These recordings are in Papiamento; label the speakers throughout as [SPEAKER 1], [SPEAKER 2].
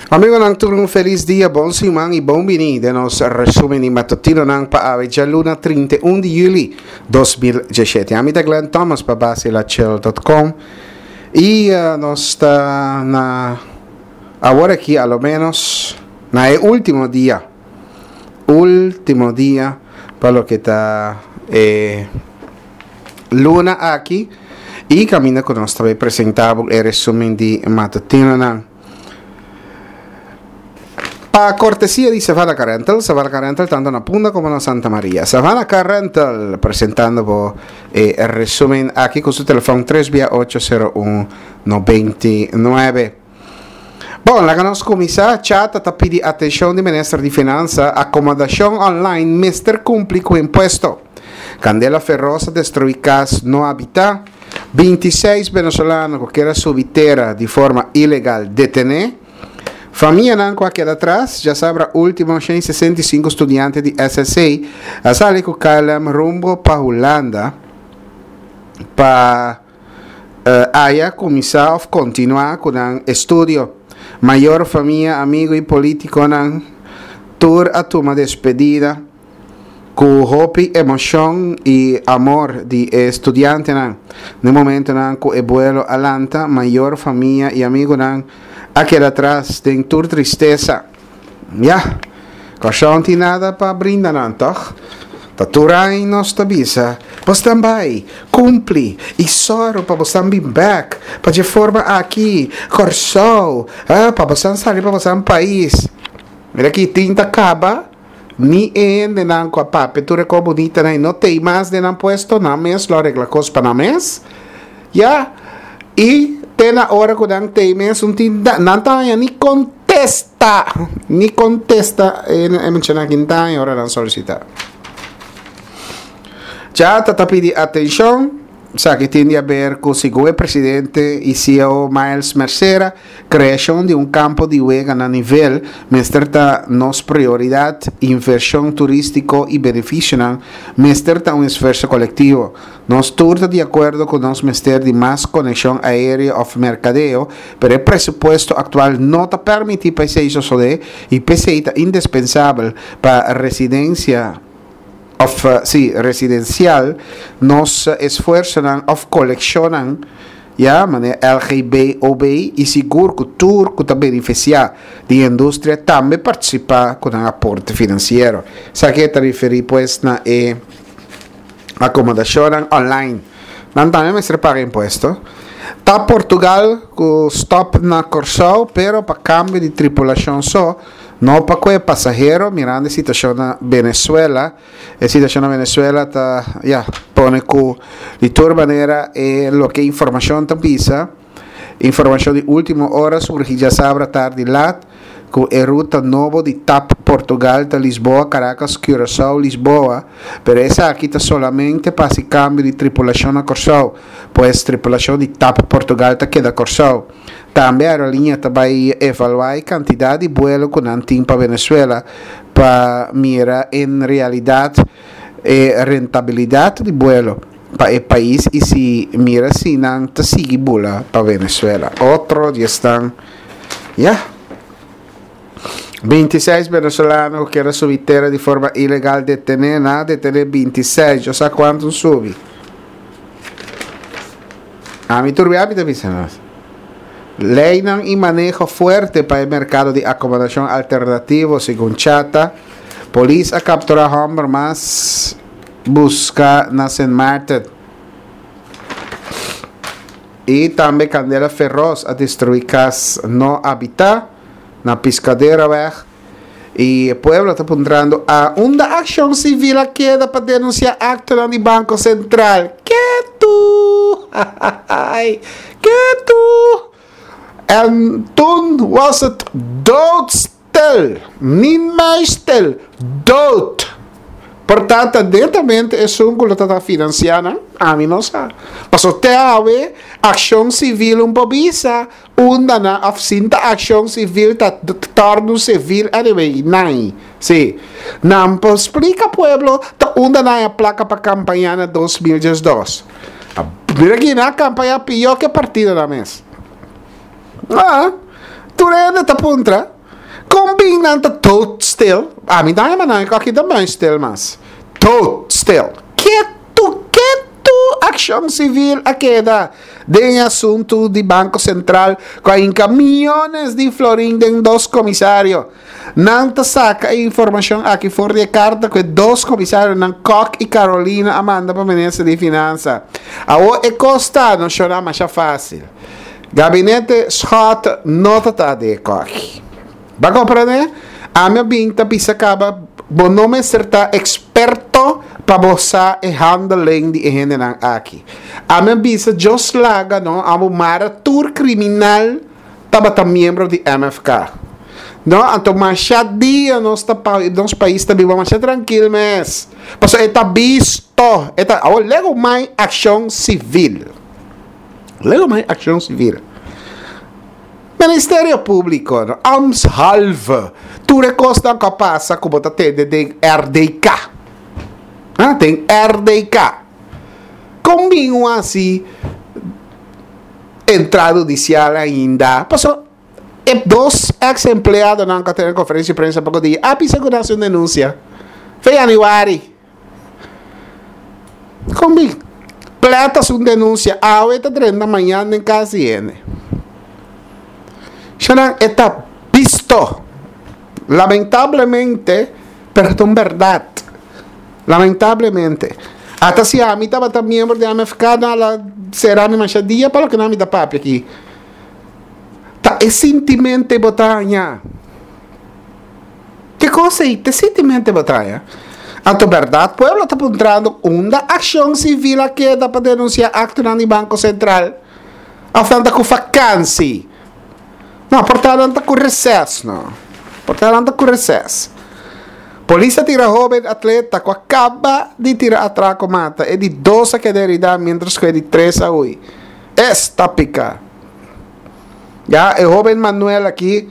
[SPEAKER 1] Amigonan tur un felis dia, bon siman y bon bini den nos resumen di matutinonan pa awe djaluna 31 di juli 2017. Ami ta Glenn Thomas pa basilachel.com y nos ta na awor aki a lo menos na e ultimo dia, ultimo dia pa loke ta e luna aki y caminda cu nos ta bay presenta bo e resumen di matutinonan. Pa cortesia di Savannah Car Rental, Savannah Car Rental tanto na Punda como na Santa Maria. Savannah Car Rental presentando bo e resumen aki cu su telefon 3 via 801 99. Bon, laga nos cuminsa. Chata ta pidi atencion di Minister di Finansa, acomodacion online mester cumpli cu impuesto. Candela feroz a destrui cas no habita. 26 venezolano ku kier a subi tera di forma ilegal detené. Famianan ku a keda atras, djasabra último 165 studiante di SSC a sali ku KLM rumbo pa Hulanda pa aya kuminsá òf kontinuá ku nan estudio. Mayor famia, amigu i polítikonan tur a tuma despedida. Ku hopi emoshon i amor di e studiantenan. Na e momentonan ku e buelo a lanta, mayor famia i amigunan a keda atras den tur tristesa. Ya, Kòrsou no tin nada pa brinda nan, tòg? Ta tur aña nos ta bisa, Bosnan bai, kumpli i sòru pa bosnan bin bèk pa dje forma aki, Kòrsou, pa bosnan sali pa bosnan pais. Mira ki tin ta kaba. Ni e hendenan ku a papia tur e kos bunitanan i no tei mas den nan puesto, nan mes lo a regla kos pa nan mes. Ya. I te na ora ku nan tei mes un tin da, nan ta haña ni kontesta, ni kontesta e e muchanan aki ta haña ora nan solisitá. Chata ta pidi atenshon. Esaki tin di haber ku segun e presidente i ceo Miles Mercera, kreashon di un kampo di wega na nivel mester ta nos prioridat, invershon turístiko i benefisionan mester ta un esfuerso kolektivo. Nos tur ta di akuerdo ku nos mester di mas konekshon aéreo òf merkadeo, pero e presupuesto aktual no ta permití pa esei sosodé i p'esei ta indispensabel pa residensia òf sí, residensial, nos esfuersonan òf kolekshonnan, ya, manera LGBOB i sigur ku tur ku ta benefisiá di e industria tambe partisipá ku nan aporte finansiero. Esaki e ta referí pues na e akomodashonnan online. Nan tambe mester paga impuesto. Ta Portugal ku stòp na Kòrsou pero pa kambio di tripulashon so. No pa ku e pasahero, mirando e situashon na Venezuela, e situashon na Venezuela ta, ya, pone ku di tur manera e loke informashon ta bisa, informashon di ultimo ora surgi djasabra tardi lat, ku e ruta nobo di tap Portugal ta Lisboa, Caracas, Curaçao, Lisboa, pero esaki ta solamente pa hasi kambio di tripulashon na Kòrsou, pues tripulashon di tap Portugal ta keda Kòrsou. Tambe aerolínea ta bai evaluá e kantidat di buelo ku nan tin pa Venezuela pa mira en realidat e rentabilidat di buelo pa e pais i si mira si nan ta sigui bula pa Venezuela. Otro di esnan ya. 26 venezolano ku kier a subi tera di forma ilegal detené. Nan a detené 26, yo sa kuantu subi. Ami tur bia mi ta bisa nos. Leynan y maneho fuerte pa e mercado di acomodacion alternativo, segun Chata. Polis a captura homber mas busca na Sint Maarten. Y tambe candela feroz a destrui cas no habita na Piscaderaweg. Y e pueblo ta puntrando a unda Accion Civil a keda pa denuncia actonan di Banco Central? Ketu! Ketu! En toen was het doodstil. Ni muisstil. Dood. Por ta netamente esun ku lo ta ta financia nan? Ami no sa. Paso te awe Accion Civil un por bisa Unda nan of sin ta accion civil ta torno civil anyway nai si nan por splica pueblo ta unda nan haya placa pa campaña na 2012 mira aki nan a campaña pior ke partido nan mes ah tur hende ta puntra. Kon bin nan ta doodstil? Ami ta hema nan aki ta muisstil mas. Doodstil. Ketu, ketu Akshon Sivil a keda den e asuntu di Banko Sentral ku a hinka miyones di florin den dos komisario. Nan ta saka e informashon aki for di e karta ku e dos komisarionan Kok i Carolina a manda pa Minister di Finansa. Awor e kos ta no shona masha fásil. Gabinete Schotte no ta ta di e koki. Bo a komprendé? Ami a bin ta bisa kaba bo no mester ta eksperto pa bo sa e handeling di e hendenan aki. Ami a bisa Dios laga no amo mara tur kriminal tabata miembro di MFK. No, anto masha dia nos ta pa nos pais ta biba masha trankil mes. Pasobra e ta bisto, e ta awor lego mai akshon sivil. Lego mai akshon sivil. Ministerio Públiko, no, ambtshalve, tur e kosnan ku a pasa ku bo ta tende den RDK. Ha, den RDK. Kon bin un hasi entrada hudisial ainda? Pasobra e dos eks empleadonan ku a tene konferensia di prensa poko dia a bisa ku nan hasi un denunsia fe yanüari. Kon bin? Plèt hasi un denunsia awe ta drenta mañan den kas di hende. Shana e ta bisto. Lamentablemente, pero ta un bèrdat. Lamentablemente. Ata si ami tabata miembro di MFK nan a sera mi masha dia pa loke nan mi ta papia aki. Ta e sintimente bo ta haña. Ke kos ei? Ta e sintimente bo ta haña. Anto bèrdat pueblo ta puntrando unda Akshon Sivil a keda pa denunsia aktonan di Banko Sentral? Òf nan ta ku fakansi? No, por ta nan ta ku reses no. Por ta nan ta ku reses. Polis a tira hoben atleta ku a kaba di tira atrako mata. E di dos a keda herida mientras ku e di tres a hui. Esta pika. Ya, e hoben Manuel aki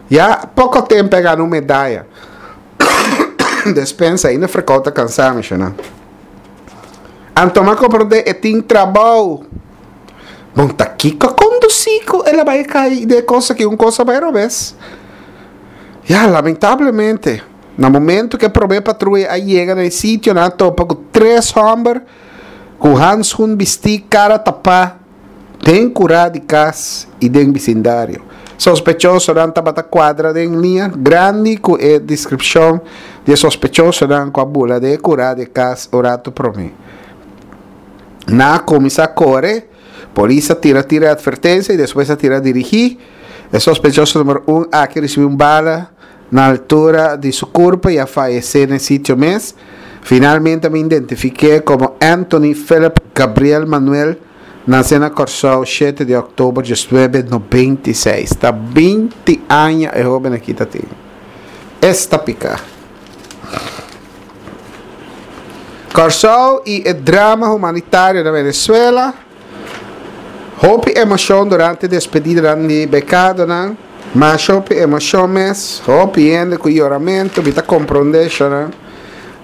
[SPEAKER 1] ya poko tempo a gana un medaya. Despensa, ainda frekou ta kansa mi shona. Anto m'a komprende e tin trabou. Bon, ta kiko a kondusí ku el a bai kai den e kos aki? Un kos a bai robes. Ya, lamentablemente, na momento ku e promé patruya a yega na e sitio, nan a topa ku tres hòmber ku hanskun bistí, kara tapá, den kurá di kas i den bisindario. Sospechosonan tabata kuadra den liña grandi ku e deskripshon di e sospechosonan ku a bula den e kurá di e kas un ratu promé. Nan a kuminsá kore. Polis a tira tira advertencia y despues a tira dirigi. E sospechoso numero un aki ricibi un bala na altura di su curpa y a fayece na e sitio mes. Finalmente a bin identifique como Anthony Philip Gabriel Manuel, nace na Corsou shete di october diesnuebe nobenta i seis. Ta binti aña e hoben aki ta tin. Esta pica. Kòrsou i e drama humanitario na Venezuela, Hopi emoshon durante despedidanan di bekadonan, Masha hopi emoshon mes, hopi hende ku yoramentu, mi ta komprondé shona.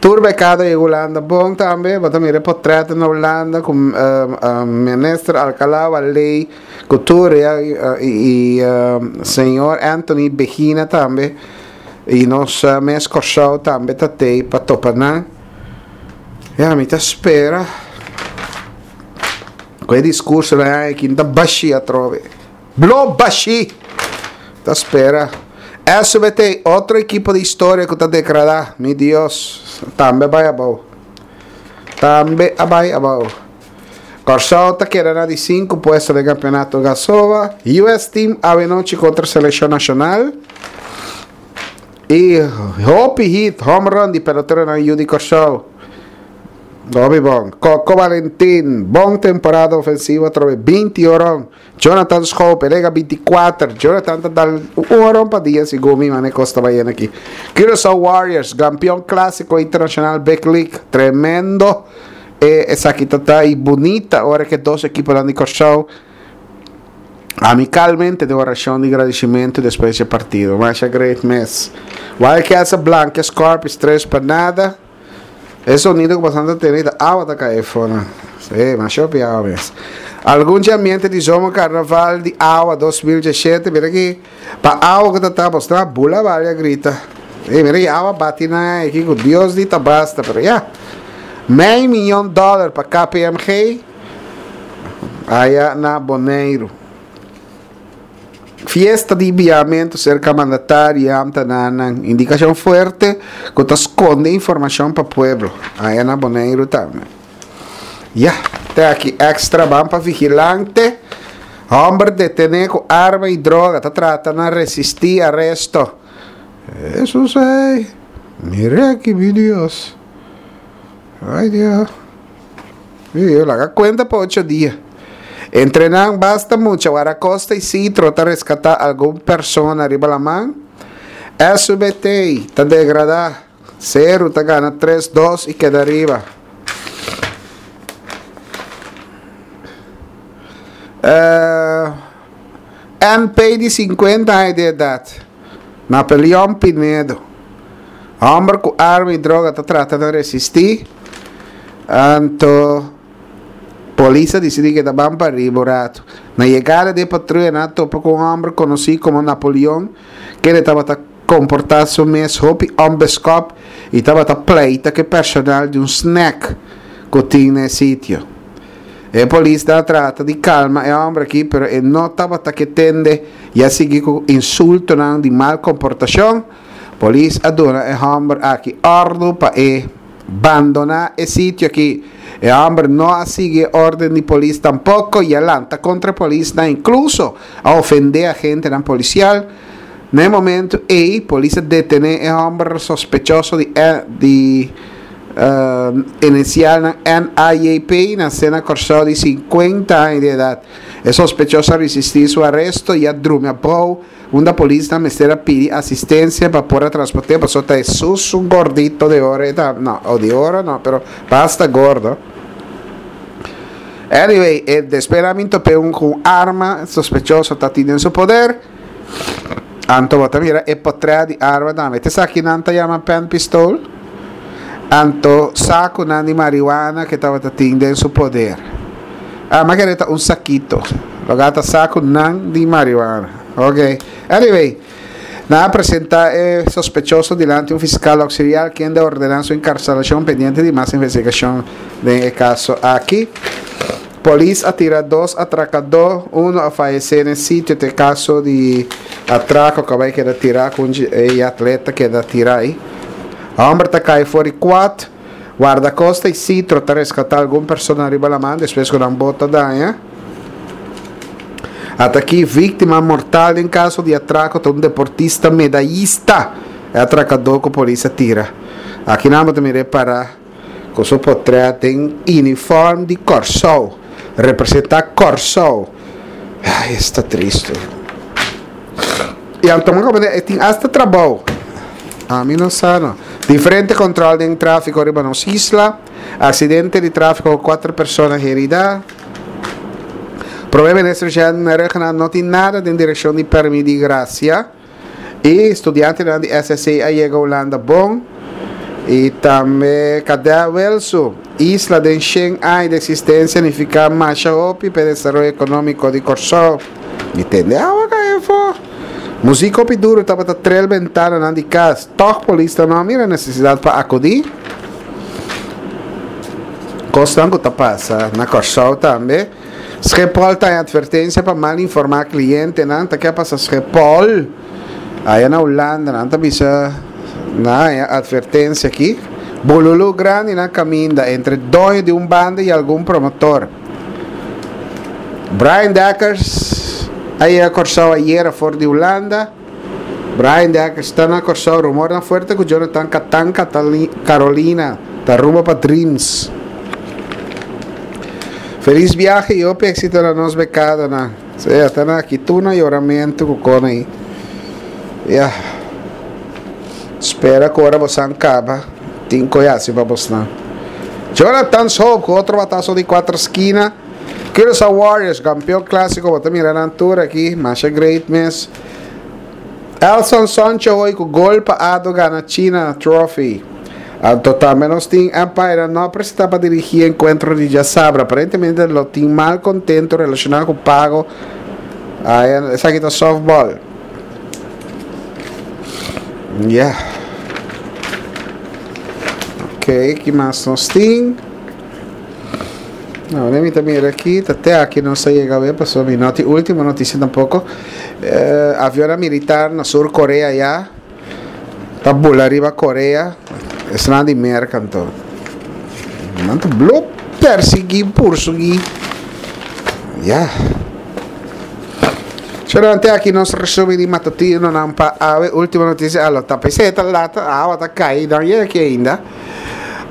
[SPEAKER 1] Tur bekado yega Hulanda bon tambe, bo ta mira e potrèt na Hulanda ku Minister Alcalá Walley ku tur i señor Anthony Begina tambe. I nos mes Kòrsou tambe ta tei pa topa nan. Ya, mi ta spera ku e diskursonan ai aki no ta bashí atrobe. Blo bashí! Ta spera. SBT, otro ekipo di historia ku ta degradá. Mi Dios, tambe a bai abou. Tambe a bai abou. Kòrsou ta keda na di sinku puesto den kampeonato Gasova. US Team awenochi kontra selekshon nashonal. I hopi hit, home run di peloteronan yu di Kòrsou. Hopi bon. Coco Valentin, bon temporada ofensivo atrobe, 20 oron. Jonathan Schoop, e lega 24. Jonathan ta dal un oron pa dia segun mi mane kos ta bayendo aki. Curaçao Warriors, kampeon klasiko internashonal Big League. Tremendo. E esaki ta ta y bunita ora ke dos ekiponan di Kòrsou amikalmente den orashon di gradisimentu despues di e partido. Masha great mes. Wildcats a blanke Scorpions 3-0. E sonido ku boso ta tende ta awa ta kai afó nan. Eh, masha hopi awa mes. Algun dje ambiente di zomer karnaval di awa 2017, mira aki, pa awa ku ta tapa, ostra bula bali a grita. Eh, mira aki awa bati nan aki ku Dios di ta basta, pero ya. Mei miyon dòler pa KPMG aya na Boneiru. Fiesta di biamentu serka mandatario i amtanarnan, indikashon fuerte ku ta skonde informashon pa pueblo. Aya na Boneiru tambe. Ya, te aki extra ban pa vigilante. Hòmber detené ku arma i droga ta trata na resistí aresto. Hesus ei, mira aki mi Dios. Ay Dios. Yo laga kuenta pa ocho dia. Entre nan basta mucha Waracosta y Citro ta rescata algun persona riba laman. SUBT ta degrada. Seru ta gana tres dos y keda riba. NP di 50 aña di edad. Napeleon Pinedo. Homber cu arma y droga ta trata na resisti. Anto polis a dicidi cu e ta ban pa riba un rato. Na yegada di e patruya nan a topa cu un homber conoci como Napoleon kende tabata comporta su mes hopi onbeskop y tabata pleita cu e personal di un snack cu tin na e sitio. E polisnan a trata di calma e homber aki pero e no tabata ke tende y a sigui cu insultonan di mal comportacion. Polis a duna e homber aki ordo pa e bandona e sitio aki. E homber no a sigui e orden di polis tampoco y a lanta contra e polisnan incluso a ofende agentenan policial. Na e momento ey polis a detene e homber sospechoso di di inicialnan NAJP nace na Corsou di 50 aña di edad. E sospechoso a resisti su aresto y a drumi abou unda polisnan mester a pidi asistencia pa por a transporte pasobra ta e sus un gordito de oro e ta no o di oro no pero basta gordo. Anyway e despues a min tope un cu un arma sospechoso ta tin den su poder. Anto bo ta mira e potret di arma tambe. Ta esaki nan ta yama pen pistol. Anto sakunan di marihuana ke tabata tin den su poder. Ah, mi a kere ta un sakito. Loke ta sakunan di marihuana. Ok. Anyway, nan a presenta e sospechoso dilanti un fiskal auxiliar kende a ordena su enkarselashon pendiente di mas investigashon den e kaso aki. Polis a tira dos atrakadó, uno a fayesé n'e sitio te kaso di atrako ku a bai keda tirá ku un e atleta keda tirá ei. Hòmber ta kai for di kuat, Wardakosta i Citro ta reskatá algun persona riba laman despues ku nan bot a daña. Ataki víktima mortal den kaso di atrako ta un deportista medayista, e atrakadó ku polis a tira. Aki nan bo ta mira e pará. Ku su potret den uniform di Kòrsou, representá Kòrsou. Ai, esta tristu. I anto mi komprende, e tin asta trabou. Ami no sa no. Diferente kòntròl den tráfiko riba nos isla. Aksidente di tráfiko ku kuater persona heridá. Prome Minister Jean Rhuggenaath no tin nada den direkshon di pèrmit di grasia. E studiantenan di SSC a yega Hulanda bon y tambe Kadè Wilsu. Isla den shen aña di existencia nifica masha hopi pa e desaroyo economico di Corsou. Mi tende awa cay afo. Muziek hopi duro tabata trel bentananan di cas. Toch polisnan no a mira necesidad pa acudi. Cosnan cu ta pasa na Corsou tambe. Schiphol ta e advertencia pa mal informa clientenan ta ke a pasa Schiphol aya na Hulanda nan ta bisa nan haya advertencia aki bololo grandi na caminda entre doño di un banda y algun promotor Brian Dekkers a yega Corsou ayera for di Hulanda Brian Dekkers ta na Corsou rumornan fuerte cu Jonathan Katan Carolina ta rumbo pa Dreams. Feliz biahe y hopi exito na nos becadonan. Sea, ta na aki tur na yoramentu cu con ayi. Ya. Spera cu ora bosan caba, tin coy haci pa bosnan. Jonathan Hope cu otro batazo di cuatro skina. Curaçao Warriors, campeon clasico, bo ta mira nan tur aki, masha great mes. Elson Soncho hoy cu gol pa Ado gana China Trophy. Anto tambe nos tin Empire no a presenta pa dirigi encuentro di djasabra. Aparentemente lo tin mal contento relaciona cu pago. Ay, esaki ta softball. Yeah. Ok, ki mas nos tin? No, mi ta mira aki, ta te aki nos a yega we, pasobra mi no tin ultimo noticia tampoco. Eh, avionnan militar na Sur Korea ya ta bula riba Korea, esnan di Merca anto. Nan ta blo persigui, pursugui. Ya. Solamente aki nos resumi di matutinonan pa awe. Ultimo noticia, alo ta peseta lata, awa ta kai, no yega aki ainda.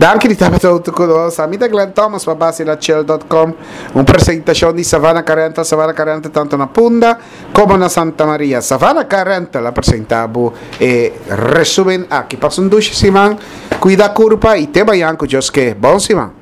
[SPEAKER 1] Danki di tabata huntu ku nos. Ami ta Glenn Thomas pa Basilachel.com. Un presentashon di Savannah Car Rental. Savannah Car Rental tanto na Punda komo na Santa Maria. Savannah Car Rental a presenta bo e resumen aki. Pasa un dushi siman, kuida kurpa i te mañan ku Dios ke. Bon siman.